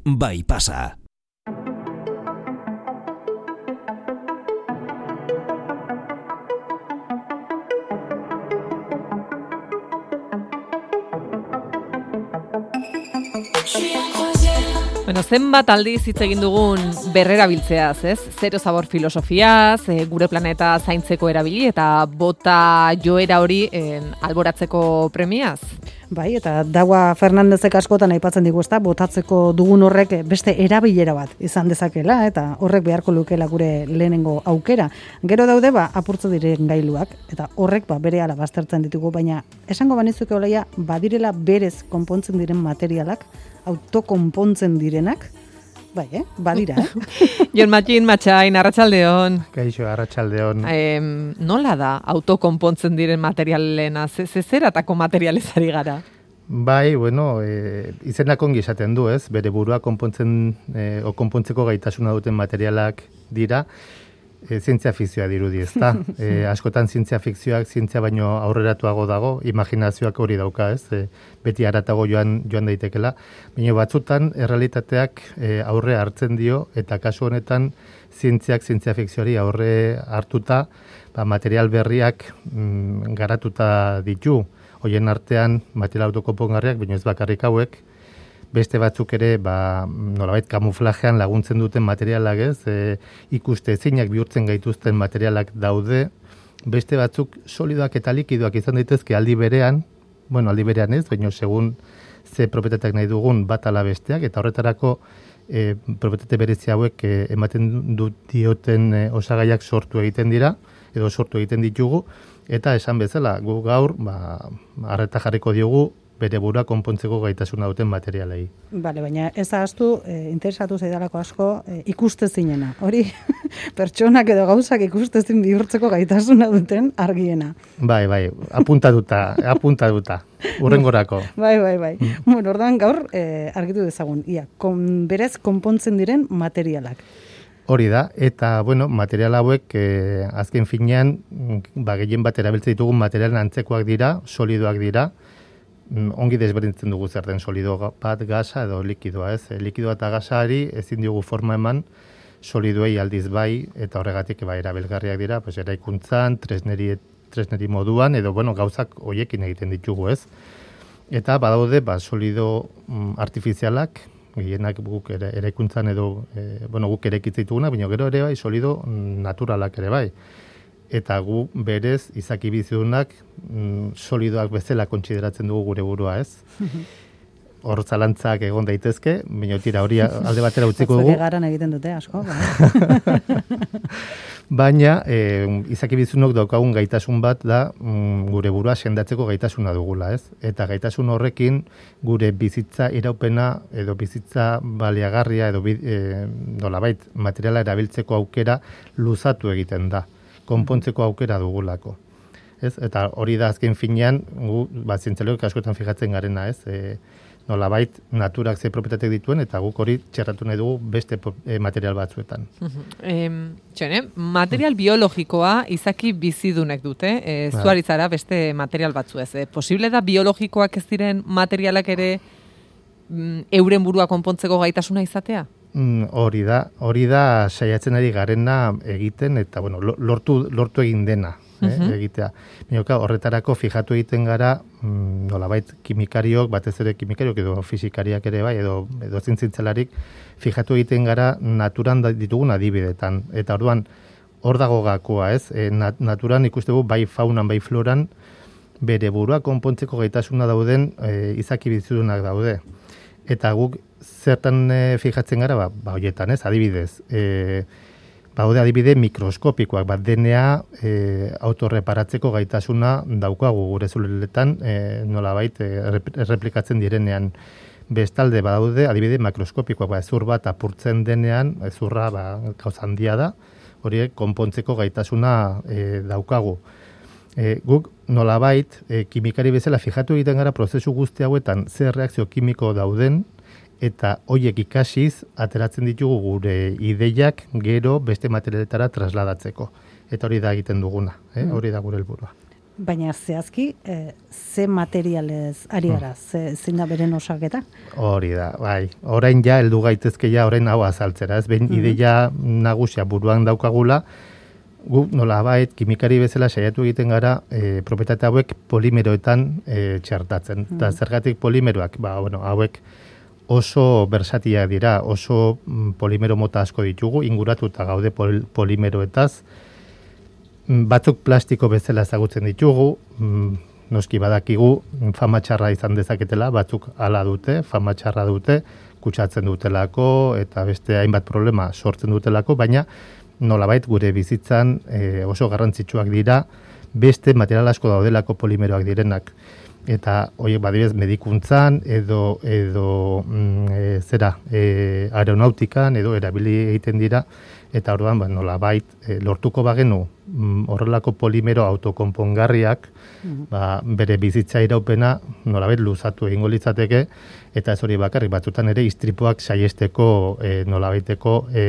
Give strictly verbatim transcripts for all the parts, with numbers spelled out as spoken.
bai pasa. Bueno, zenbat aldiz hitz egin dugun berrerabiltzeaz, ez? Zero zabor filosofiaz, e, gure planeta zaintzeko erabili eta bota joera hori en, alboratzeko premiaz. Bai, eta Daua Fernandezek askotan aipatzen digu, ezta, botatzeko dugun horrek beste erabilera bat izan dezakela eta horrek beharko lukeela gure lehenengo aukera. Gero daude ba apurtze diren gailuak eta horrek ba berehala baztertzen ditugu, baina esango banizuke olaia badirela berez konpontzen diren materialak, autokonpontzen direnak, bai, eh? Badira, eh? Jon Matxin, Matxain, arratsaldeon. Kaixo, arratsaldeon. Eh, nola da autokonpontzen diren materialena? Ze, ze zeratako materialezari gara? Bai, bueno, e, izenak ongi esaten du, ez? Bere burua konpontzen, e, o konpontzeko gaitasuna duten materialak dira, e, zientzia fikzioa dirudi, ezta? E, askotan zientzia fikzioak zientzia baino aurreratuago dago, imaginazioak hori dauka, ez? E, beti haratago joan joan daitekela, baina batzutan errealitateak e, aurre hartzen dio eta kasu honetan zientziak zientzia fikzioari aurre hartuta, ba, material berriak mm, garatuta ditu. Hoien artean material autokonpongarriak, baina ez bakarrik hauek, beste batzuk ere ba, nolabait kamuflajean laguntzen duten materialak, ez, e, ikuste ezinak bihurtzen gaituzten materialak daude, beste batzuk solidoak eta likidoak izan daitezke aldi berean, bueno, aldi berean ez, baina segun ze propietateak nahi dugun bat ala besteak, eta horretarako e, propietate berezi hauek e, ematen dut dioten e, osagaiak sortu egiten dira, edo sortu egiten ditugu, eta esan bezala, gu gaur, ba, arreta jarriko diogu, bere burua konpontzeko gaitasuna duten materialei. Bale, baina ez ahaztu, e, interesatu zaidalako asko, e, ikustezinena. Hori, pertsonak edo gauzak ikustezin bihurtzeko gaitasuna duten argiena. Bai, bai, apuntatuta, apuntatuta, urrengorako. Bai, bai, bai. Mm. Bueno, ordan gaur, e, argitu dezagun, ia, kon, berez konpontzen diren materialak. Hori da, eta, bueno, material hauek, eh, azken finean, ba, gehien bat erabiltzen ditugun materialen antzekoak dira, solidoak dira, ongi desberdintzen dugu zer den solido bat, gasa edo likidoa, ez? Likidoa eta gasari ezin diogu forma eman, solidoei aldiz bai, eta horregatik ba, erabilgarriak dira, pues, eraikuntzan, tresneri, tresneri moduan, edo, bueno, gauzak hoiekin egiten ditugu, ez? Eta badaude, ba, solido mm, artifizialak, gehienak guk ere, eraikuntzan edo, e, bueno, guk erekitzen dituguna, baina gero ere bai solido naturalak ere bai. Eta gu berez izaki bizidunak mm, solidoak bezala kontsideratzen dugu gure burua, ez? Hor zalantzak egon daitezke, baina tira hori alde batera utziko dugu. Zure garan egiten dute asko, bai. Baina e, izaki bizunok daukagun gaitasun bat da mm, gure burua sendatzeko gaitasuna dugula, ez? Eta gaitasun horrekin gure bizitza iraupena edo bizitza baliagarria edo e, nolabait materiala erabiltzeko aukera luzatu egiten da, konpontzeko aukera dugulako. Ez? Eta hori da azken finean, gu ba, zientzialariok askotan fijatzen garena, ez? E, nolabait naturak ze propietateak dituen eta guk hori txerratu nahi dugu beste e, material batzuetan. Eh, txene, material biologikoa izaki bizidunek dute, e, zuaritzara beste material batzu ez. E, posible da biologikoak ez diren materialak ere mm, euren burua konpontzeko gaitasuna izatea? Mm, hori da, hori da saiatzen ari garena egiten eta bueno, lortu, lortu egin dena. Eh, egitea. Minoka, horretarako fijatu egiten gara mm, nolabait kimikariok, batez ere kimikariok edo fisikariak ere bai, edo, edo zintzintelarik, fijatu egiten gara naturan ditugun adibidetan. Eta orduan, hor dago gakoa, ez? E, nat, naturan ikustegu bai faunan, bai floran, bere burua konpontzeko gaitasuna dauden e, izaki bizidunak daude. Eta guk zertan e, fijatzen gara, ba, ba hoietan, ez? Adibidez, e, Baude adibide mikroskopikoak, bat D N A e, autorreparatzeko gaitasuna daukagu gure zuleletan, e, nolabait e, erreplikatzen direnean. Bestalde badaude adibide makroskopikoak, ba, ezur bat apurtzen denean, ezurra ba, gauza handia da, horiek konpontzeko gaitasuna e, daukagu. E, guk nolabait e, kimikari bezala fijatu egiten gara prozesu guzti hauetan zer reakzio kimiko dauden, eta hoiek ikasiz ateratzen ditugu gure ideiak gero beste materialetara trasladatzeko. Eta hori da egiten duguna, eh? Hori da gure helburua. Baina zehazki, e, ze materialez ari gara, ze zein da beren osaketa? Hori da, bai. Orain ja, heldu gaitezke ja, orain hau azaltzera, ez behin mm-hmm. ideia nagusia buruan daukagula, gu nolabait kimikari bezala saiatu egiten gara e, propietate hauek polimeroetan e, txertatzen. Eta mm. zergatik polimeroak, ba, bueno, hauek oso bersatiak dira, oso mm, polimero mota asko ditugu, inguratuta gaude pol, polimeroetaz, batzuk plastiko bezala ezagutzen ditugu, mm, noski badakigu fama txarra izan dezaketela, batzuk hala dute, fama txarra dute, kutsatzen dutelako eta beste hainbat problema sortzen dutelako, baina nolabait gure bizitzan e, oso garrantzitsuak dira, beste material asko daudelako polimeroak direnak. Eta horiek badibez medikuntzan edo edo mm, e, zera e, aeronautikan edo erabili egiten dira, eta orduan ba, nolabait e, lortuko bagenu mm, horrelako polimero autokonpongarriak mm-hmm. ba, bere bizitza iraupena nolabait luzatu egingo litzateke, eta ez hori bakarrik batzutan ere istripuak saiesteko e, nolabaiteko e,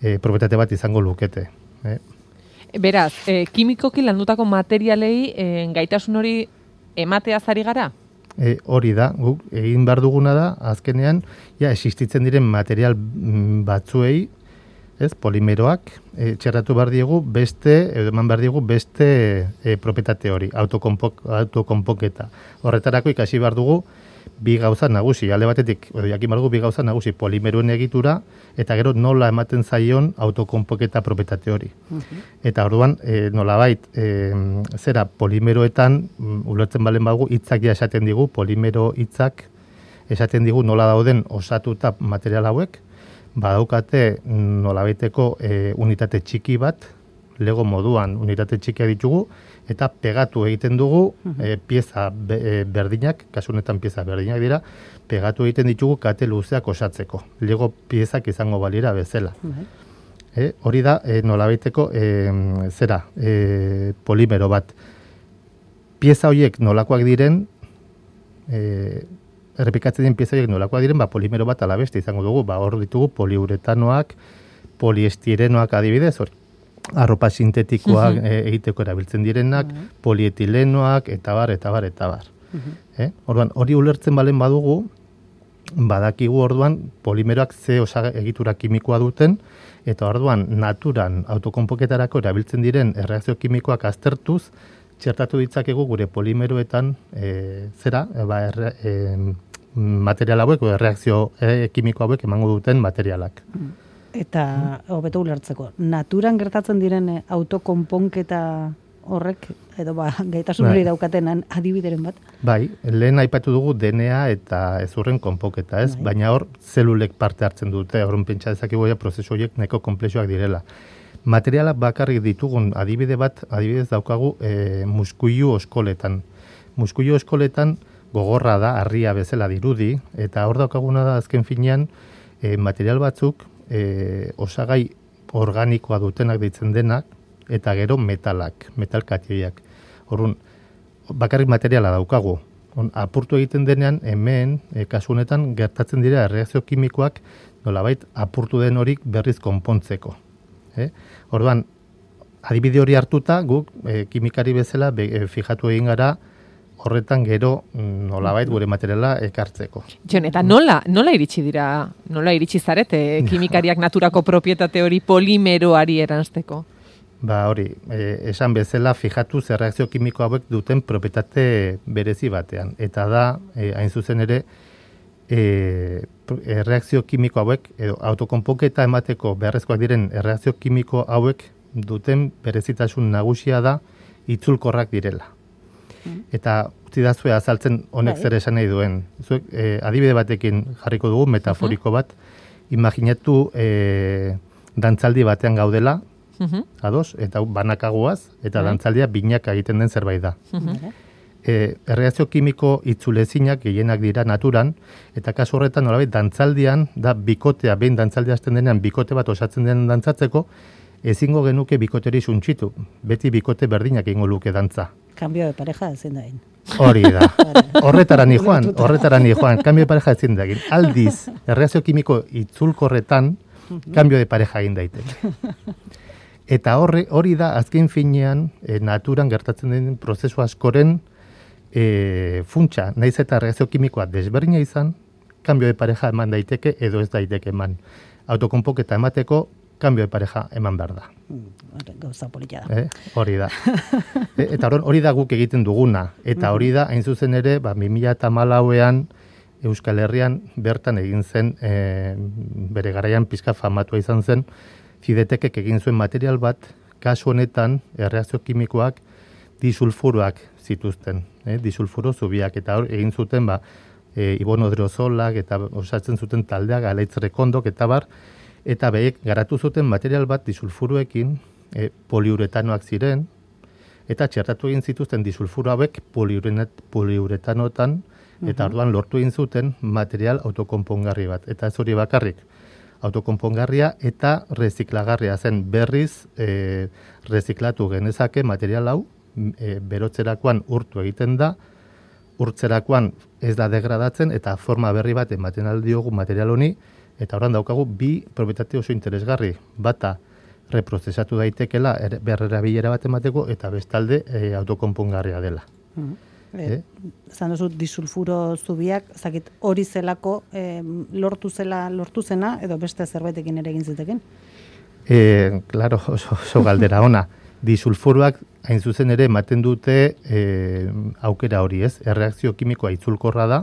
e, propietate bat izango lukete. Eh? Beraz, e, kimikoki landutako materialei e, gaitasun hori ematea zari gara? E, hori da, guk egin behar duguna da, azkenean, ja, existitzen diren material batzuei, ez, polimeroak, e, txerratu behar diegu beste, edo eman behar diegu beste e, propietate hori, autokonpoketa. Horretarako ikasi behar dugu bi gauza nagusi, alde batetik, edo jakin behar dugu bi gauza nagusi, polimeroen egitura, eta gero nola ematen zaion autokonpoketa propietate hori. Uh-huh. Eta orduan, e, nolabait, e, zera, polimeroetan, um, ulertzen balen badugu, hitzak ja esaten digu, polimero hitzak esaten digu nola dauden osatuta material hauek, badaukate nolabaiteko e, unitate txiki bat, lego moduan unitate txikia ditugu, eta pegatu egiten dugu e, pieza be, e, berdinak, kasu honetan pieza berdinak dira, pegatu egiten ditugu kate luzeak osatzeko. Lego piezak izango balira bezala. E, hori da e, nolabaiteko e, zera, e, polimero bat. Pieza horiek nolakoak diren, e, errepikatzen den pieza horiek nolakoak diren, ba, polimero bat alabeste izango dugu, ba, hor ditugu poliuretanoak, poliestirenoak adibidez, hori. Arropa sintetikoak uh-huh. e, egiteko erabiltzen direnak, uh-huh. polietilenoak, eta bar, eta bar, eta bar. Uh-huh. Eh? Orduan, hori ulertzen balen badugu, badakigu orduan polimeroak ze osaga egitura kimikoa duten, eta orduan naturan autokonpoketarako erabiltzen diren erreakzio kimikoak aztertuz, txertatu ditzakegu gure polimeroetan e, zera, e, ba, erre, e, material hauek, o erreakzio e, kimiko hauek emango duten materialak. Uh-huh. Eta, hobeto ulertzeko, naturan gertatzen diren autokonponketa horrek, edo ba, gaitasun hori daukatenan adibideren bat? Bai, lehen aipatu dugu D N A eta ezurren konponketa, ez? Bai. Baina hor, zelulek parte hartzen dute, horren pentsa dezakigu prozesu horiek nahiko konplexuak direla. Materialak bakarrik ditugun adibide bat, adibidez daukagu e, muskuilu oskoletan. Muskuilu oskoletan gogorra da, harria bezala dirudi, eta hor daukaguna da azken finean e, material batzuk, E, osagai organikoa dutenak deitzen denak, eta gero metalak, metalkatioiak. Horrun, bakarrik materiala daukagu. On, apurtu egiten denean, hemen, e, kasu honetan, gertatzen dira erreakzio kimikoak nolabait apurtu den horik berriz konpontzeko. Eh? Orduan, adibide hori hartuta, guk e, kimikari bezala be, e, fijatu egin gara, horretan gero nolabait gure materiala ekartzeko. Jon, eta nola, nola iritsi dira, nola iritsi zarete kimikariak naturako propietate hori polimeroari eranzteko? Ba hori, e, esan bezala fijatu zer reakzio kimiko hauek duten propietate berezi batean. Eta da, e, hain zuzen ere, e, erreakzio kimiko hauek, edo autokonponketa emateko beharrezkoak diren erreakzio kimiko hauek duten berezitasun nagusia da itzulkorrak direla. Eta utzi da zue azaltzen honek bai. Zer esan nahi duen. Zuek, eh, adibide batekin jarriko dugu, metaforiko bat. Imaginatu eh, dantzaldi batean gaudela, uh-huh. ados, eta banakagoaz, eta uh-huh. dantzaldia binaka egiten den zerbait da. Uh-huh. E, erreakzio kimiko itzulezinak gehienak dira naturan, eta kasu horretan nolabait dantzaldian, da bikotea, behin dantzaldia hasten denean, bikote bat osatzen den dantzatzeko, ezingo genuke bikoteri suntxitu. Beti bikote berdinak egingo luke dantza. Cambio de pareja ezin da egin. Hori da. Horretara ni joan, horretara ni joan. Cambio de pareja ezin da egin. Aldiz, erreakzio kimiko itzulkorretan, cambio de pareja egin daiteke. Eta horri, hori da, azken finean, e, naturan gertatzen den prozesu askoren e, funtsa, naiz eta reakzio kimikoa desberdina izan, kambio de pareja eman daiteke edo ez daiteke eman. Autokonpoketa emateko, kambio de pareja eman behar da. Gauza polita da. Eh? Hori da. e, eta hori da guk egiten duguna. Eta hori da, hain zuzen ere, ba, bi mila hamalauean Euskal Herrian bertan egin zen, e, bere garaian pizka famatua izan zen, Fidetekek egin zuen material bat, kasu honetan, erreakzio kimikoak, disulfuroak zituzten. Eh? Disulfuro zubiak, eta hor egin zuten, ba, e, ibonodrozolak, eta osatzen zuten taldeak, alaitz rekondok, eta bar, eta behek garatu zuten material bat disulfuroekin, e, poliuretanoak ziren, eta txertatu egin zituzten disulfuro hauek poliuretanotan, eta orduan lortu egin zuten material autokonpongarri bat. Eta ez hori bakarrik, autokonpongarria eta reziklagarria zen berriz e, reziklatu genezake material hau, e, berotzerakoan urtu egiten da, urtzerakoan ez da degradatzen, eta forma berri bat ematen aldiogu material honi, eta orain daukagu bi propietate oso interesgarri. Bata, reprozesatu daitekela er, berrerabilera bat emateko, eta bestalde e, autokonpongarria dela. Mm. Eh? Zan duzu, disulfuro zubiak, zakit, hori zelako eh, lortu zela, lortu zena, edo beste zerbaitekin ere egin ziteken? Eh, claro, oso, oso galdera ona. Disulfuroak hain zuzen ere ematen dute eh, aukera hori, ez? Erreakzio kimikoa itzulkorra da,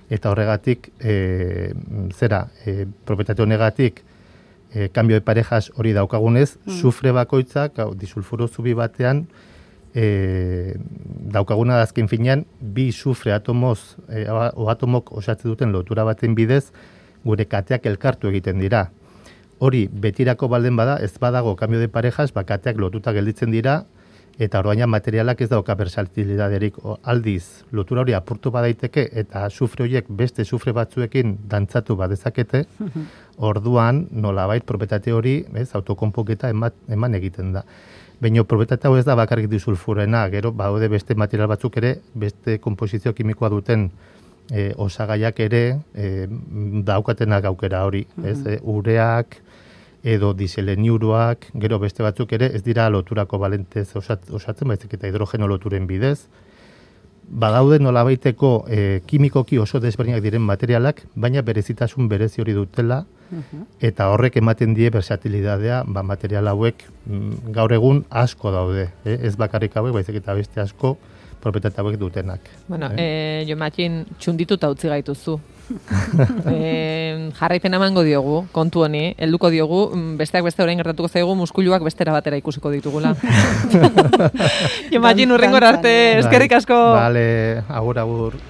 eta horregatik, eh, zera, eh, propietate honegatik, eh, kambio de parejas hori daukagunez, mm. sufre bakoitzak, hau, disulfuro zubi batean, E, daukaguna da azken finean, bi sufre atomoz, e, o atomok osatzen duten lotura baten bidez, gure kateak elkartu egiten dira. Hori, betirako balden bada, ez badago kambio de parejas, ba, kateak lotuta gelditzen dira, eta orduan materialak ez dauka versatilitaterik. Aldiz, lotura hori apurtu badaiteke, eta sufre horiek beste sufre batzuekin dantzatu badezakete, orduan, nolabait, propietate hori, ez, autokonpoketa eman, eman egiten da. Baina propietate hau ez da bakarrik disulfurena, gero baude beste material batzuk ere, beste konposizio kimikoa duten e, osagaiak ere e, daukatenak aukera hori, ez? E, ureak edo diseleniuroak, gero beste batzuk ere ez dira loturako balentez osat, osatzen, baizik eta hidrogeno loturen bidez. Badaude nolabaiteko e, kimikoki oso desberdinak diren materialak, baina berezitasun berezi hori dutela, eta horrek ematen die versatilitatea, ba, material hauek mm, gaur egun asko daude, eh? Ez bakarrik hauek, baizik eta beste asko propietate hauek dutenak. Bueno, eh? eh, jo matxin txundituta utzi gaituzu. eh, jarraipen emango diogu, kontu honi, helduko diogu, besteak beste orain gertatuko zaigu, muskuluak bestera batera ikusiko ditugula. Jo matxin urrengor arte, eskerrik asko. Vale, agur, agur.